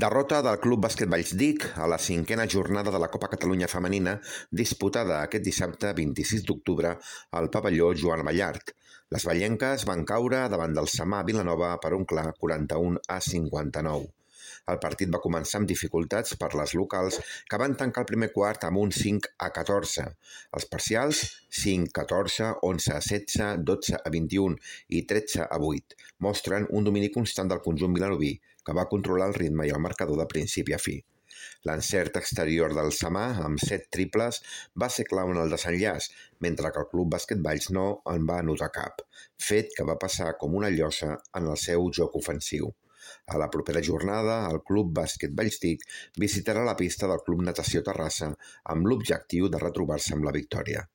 Derrota del Club Bàsquet Vallsdic a la 5a jornada de la Copa Catalunya Femenina disputada aquest dissabte 26 d'octubre al pavelló Joan Ballart. Les vallenques van caure davant del Samà Vilanova per un clar 41-59. El partit va començar amb dificultats per les locals que van tancar el primer quart amb un 5-14. Els parcials 5-14, 11-16, 12-21 i 13-8 mostren un domini constant del conjunt vilanoví que va controlar el ritme i el marcador de principi a fi. L'encert exterior del Samà, amb 7 triples, va ser clau en el desenllaç, mentre que el Club Bàsquet Valls no en va anotar cap, fet que va passar com una llosa en el seu joc ofensiu. A la propera jornada, el Club Bàsquet Vallsdic visitarà la pista del Club Natació Terrassa amb l'objectiu de retrobar-se amb la victòria.